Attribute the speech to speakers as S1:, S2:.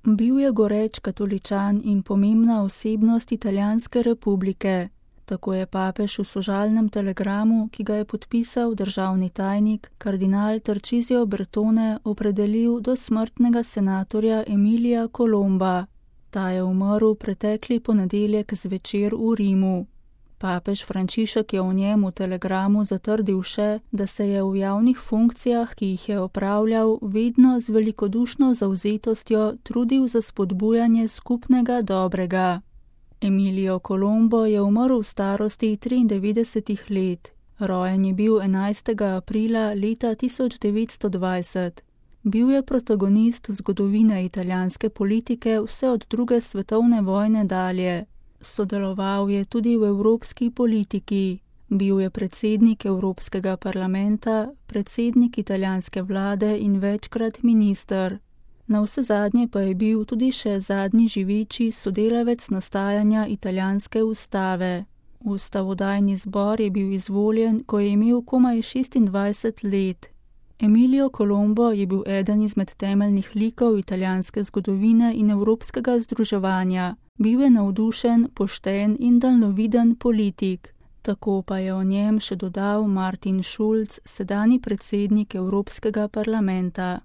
S1: Bil je goreč katoličan in pomembna osebnost Italijanske republike. Tako je papež v sožalnem telegramu, ki ga je podpisal državni tajnik, kardinal Tarcisio Bertone, opredelil do smrtnega senatorja Emilija Colomba. Ta je umrl pretekli ponedeljek zvečer v Rimu. Papež Frančišek je o njem v telegramu zatrdil še, da se je v javnih funkcijah, ki jih je opravljal, vedno z velikodušno zavzetostjo trudil za spodbujanje skupnega dobrega. Emilio Colombo je umrl v starosti 93 let. Rojen je bil 11. aprila leta 1920. Bil je protagonist zgodovine italijanske politike vse od druge svetovne vojne dalje. Sodeloval je tudi v evropski politiki. Bil je predsednik Evropskega parlamenta, predsednik italijanske vlade in večkrat minister. Navsezadnje pa je bil tudi še zadnji živeči sodelavec nastajanja italijanske ustave. Ustavodajni zbor je bil izvoljen, ko je imel komaj 26 let. Emilio Colombo je bil eden izmed temeljnih likov italijanske zgodovine in evropskega združevanja. Bil je navdušen, pošten in daljnoviden politik. Tako pa je o njem še dodal Martin Schulz, sedanji predsednik Evropskega parlamenta.